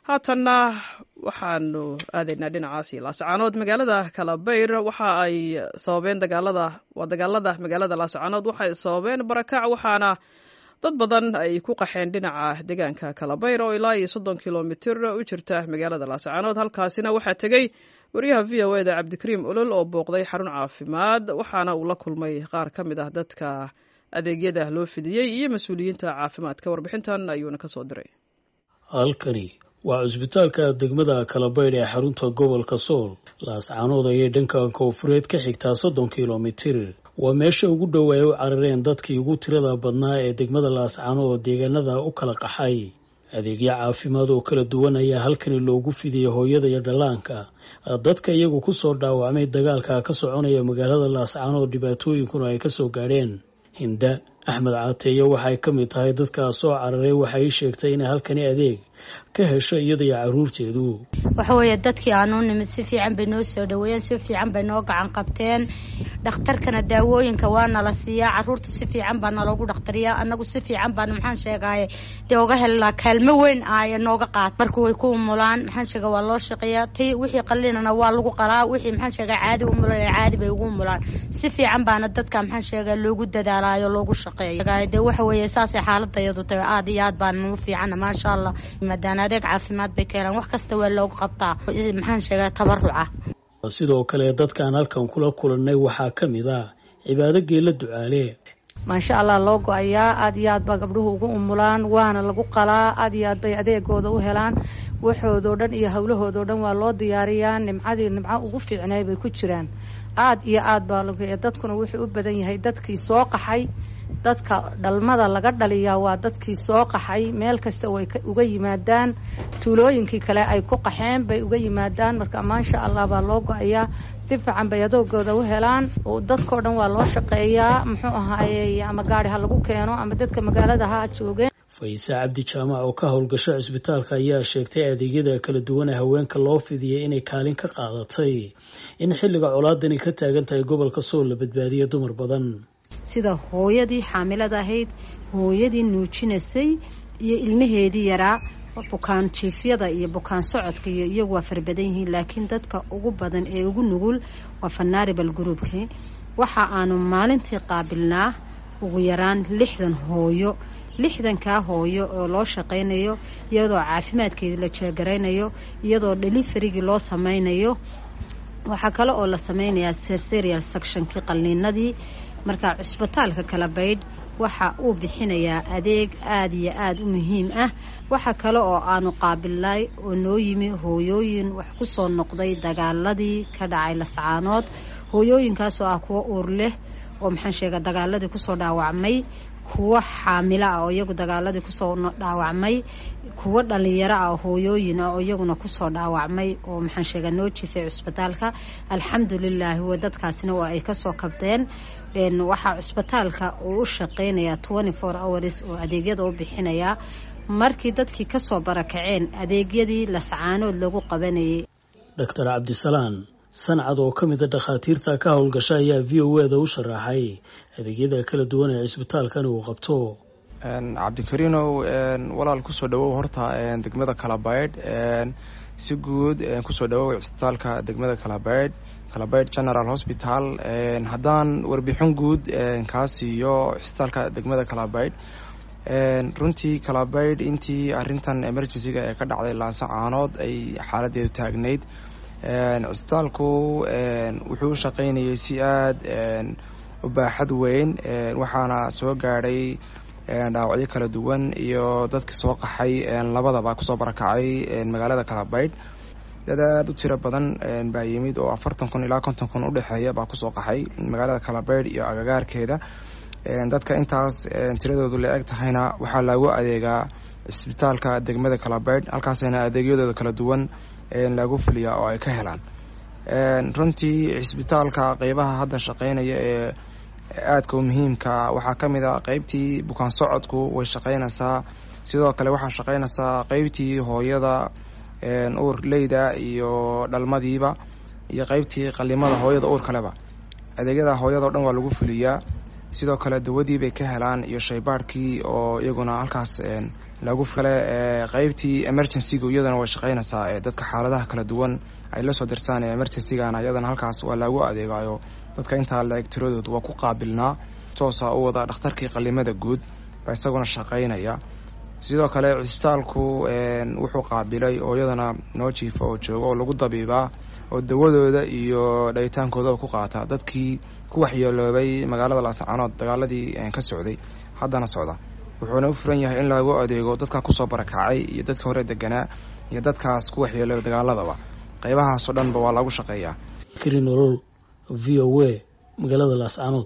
Haatanna waxaanu aadaynaa dhinacaasi Laascaanood. Magaalada Kalabayr waxa ay sababeen dagaalada, waa dagaalada magaalada Laascaanood waxay sababeen barakac, waxaana dad badan ay ku qaxeen dhinaca deegaanka Kalabayr oo ilaa iyo 30 kilomitir u jirta magaalada Laascaanood. Halkaasina waxaa tegey wariyaha VOA da Cabdikariim Olol oo booqday xarun caafimaad, waxaana uu la kulmay qaar ka mid ah dadka adeegyada loo fidiyey iyo mas-uuliyiinta caafimaadka. Warbixintan ayuuna kasoo diray. Halkani waa cusbitaalka degmada Kalabaydh ee xarunta gobolka Sool. Laascaanood ayay dhanka koonfureed ka xigtaa 30 kilomitir. Waa meesha ugu dhow ay u carareen dadkii ugu tirada badnaa ee degmada Laascaanood deegaanada u kala qaxay. Adeegyo caafimaad oo kala duwan ayaa halkani loogu fidiyey hooyada iyo dhallaanka, dadka iyagu kusoo dhaawacmay dagaalka ka soconaya magaalada Laascaanood, dhibaatooyinkuna ay kasoo gaadheen. Hinda Axmed Caateeye waxay ka mid tahay dadkaa soo cararay. Waxay sheegtay inay halkani adeeg ka hesho iyada iyo caruurteedu. Waxa weeye, dadkii aanu nimid si fiican bay noo soo dhaweeyeen, si fiican bay noo gacan qabteen. Dhakhtarkana daawooyinka waa nala siiyaa, caruurta si fiican baa naloogu dhakhtariyaa, annagu si fiican baanu, maxaan sheegaaye, dee uga helnaa kaalmo weyn aaya nooga qaat. Marka way ku umulaan, maxaan sheega, waa loo shaqeeyaa. Ti wixii qallinana waa lagu qalaa, wixii, maxaan sheegaa, caadi umulan caadi bay ugu umulaan. Si fiican baana dadka, maxaan sheegaa, loogu dadaalaayo, loogu shaqeeyo. Dee waxa weeye, saasay xaaladda iyadu tahay. Aad iyo aad baan nuu fiicana, maasha Allah. Maadaana adeeg caafimaad bay ka helaan, wax kasta waa loogu qabtaa, maxaan sheegaa, tabaruca. Sidoo kale dadkaan halkan kula kulannay waxaa ka mid ah Cibaado Geela Ducaale. Maasha Allah, loo go-ayaa. Aad iyo aad baa gabdhuhu ugu umulaan, waana lagu qalaa. Aad iyo aad bay adeegooda u helaan. Waxoodoo dhan iyo howlahoodao dhan waa loo diyaariyaa. Nimcadii nimco ugu fiicnay bay ku jiraan. Aad iyo aad baa dadkuna wuxuu u badan yahay dadkii soo qaxay. Dadka dhalmada laga dhaliyaa waa dadkii soo qaxay. Meel kasta way uga yimaadaan, tuulooyinkii kale ay ku qaxeen bay uga yimaadaan. Marka maasha Allah baa loo go-ayaa, si fiican bay adoogooda u helaan. Dadkao dhan waa loo shaqeeyaa, muxuu ahaaye, ama gaari ha lagu keeno ama dadka magaalada ha joogeen. Fayse Cabdi Jaamac oo ka howlgasha cisbitaalka ayaa sheegtay adeegyada kala duwan ee haweenka loo fidiyay inay kaalin ka qaadatay in xilliga colaadani ka taagan tahay gobolka Sool la badbaadiyo dumar badan. Sida hooyadii xaamilada ahayd, hooyadii nuujinaysay iyo ilmaheedii yaraa, bukaan jiifyada iyo bukaan socodka iyo iyagu waa fara badan yihiin, laakiin dadka ugu badan ee ugu nugul waa vulnerable groupkii. Waxa aanu maalintii qaabilnaa ugu yaraan 60 hooyo. 60-kaa hooyo oo loo shaqaynayo, iyadoo caafimaadkeedii la jeegaraynayo, iyadoo deliverygii loo sameynayo. Waxaa kale oo la sameynayaa cesarean sectionkii, qalniinadii. Marka cusbitaalka Kalabaydh waxa uu bixinayaa adeeg aada iyo aada u muhiim ah. Waxa kale oo aanu qaabilnay oo noo yimi hooyooyin wax ku soo noqday dagaaladii ka dhacay Lascaanood, hooyooyinkaasoo ah kuwo uur leh oo, maxaan sheega, dagaaladii kusoo dhaawacmay, kuwo xaamilo ah oo iyagu dagaaladii kusoo dhaawacmay, kuwo dhalinyaro ah oo hooyooyin ah oo iyaguna kusoo dhaawacmay oo, maxaan sheegaa, noo jifay cusbitaalka. Alxamdulilaahi, wa dadkaasina waa ay kasoo kabdeen. Waxaa cusbitaalka uu u shaqeynayaa 24 hours oo adeegyada u bixinayaa markii dadkii kasoo barakaceen adeegyadii Lascaanood lagu qabanayay. Doctor Cabdisalaan Sancad oo ka mid a dhakhaatiirta ka howlgasha ayaa VOA da u sharaxay adeegyada kala duwan ee cisbitaalkan uu qabto. Cabdikariinow walaal, kusoo dhawow horta degmada Kalabaydh. Si guud kusoo dhawow cisbitaalka degmada Kalabaydh, Kalabaydh General Hospital. Haddaan warbixin guud kaa siiyo cisbitaalka degmada Kalabaydh, runtii Kalabaydh intii arrintan emergencyga ee ka dhacday Laasacaanood ay xaaladeedu taagnayd, cisbitaalku wuxuu u shaqeynayay si aada u baaxad weyn. Waxaana soo gaadhay dhaawacyo kala duwan iyo dadka soo qaxay labadaba kusoo barakacay magaalada Kalabaydh. Dad aada u tiro badan baa yimid oo 40,000 ilaa 50,000 udhexeeya baa kusoo qaxay magaalada Kalabaydh iyo agagaarkeeda. Dadka intaas tiradoodu la eg tahayna waxaa loogu adeegaa cisbitaalka degmada Kalabaydh. Halkaasna adeegyadooda kala duwan lagu fuliyaa oo ay ka helaan. Runtii cisbitaalka qeybaha hadda shaqeynaya ee aadka u muhiimka waxaa ka mid a qeybtii bukaan socodku, way shaqeynaysaa. Sidoo kale waxaa shaqeynaysaa qeybtii hooyada uur leyda iyo dhalmadiiba iyo qeybtii qalimada hooyada uur kaleba. Adeegyada hooyada o dhan waa lagu fuliyaa. Sidoo kale dawadii bay ka helaan iyo shaybaadhkii oo iyaguna halkaas lagu kale. Qeybtii emergencygu iyadana way shaqeynaysaa, dadka xaaladaha kala duwan ay la soo dirsaan ee emergencygana iyadana halkaas waa loogu adeegayo. Dadka intaa la-eg tiradoodu waa ku qaabilnaa toosa u wada. Dhakhtarkii qalimada guud baa isaguna shaqeynaya. Sidoo kale cisbitaalku wuxuu qaabilay oo iyadana noo jiifa oo jooga oo lagu dabiibaa oo dawadooda iyo dhayitaankoodaba ku qaata dadkii ku waxyeeloobay magaalada Laascaanood dagaaladii ka socday, haddana socda. Wuxuuna u furan yahay in lagu adeego dadka kusoo barakacay iyo dadka hore deganaa iyo dadkaas ku waxyeeloobay dagaaladaba, qeybahaasoo dhanba waa lagu shaqeeyaa. Nolol v o a, magaalada Laascaanood.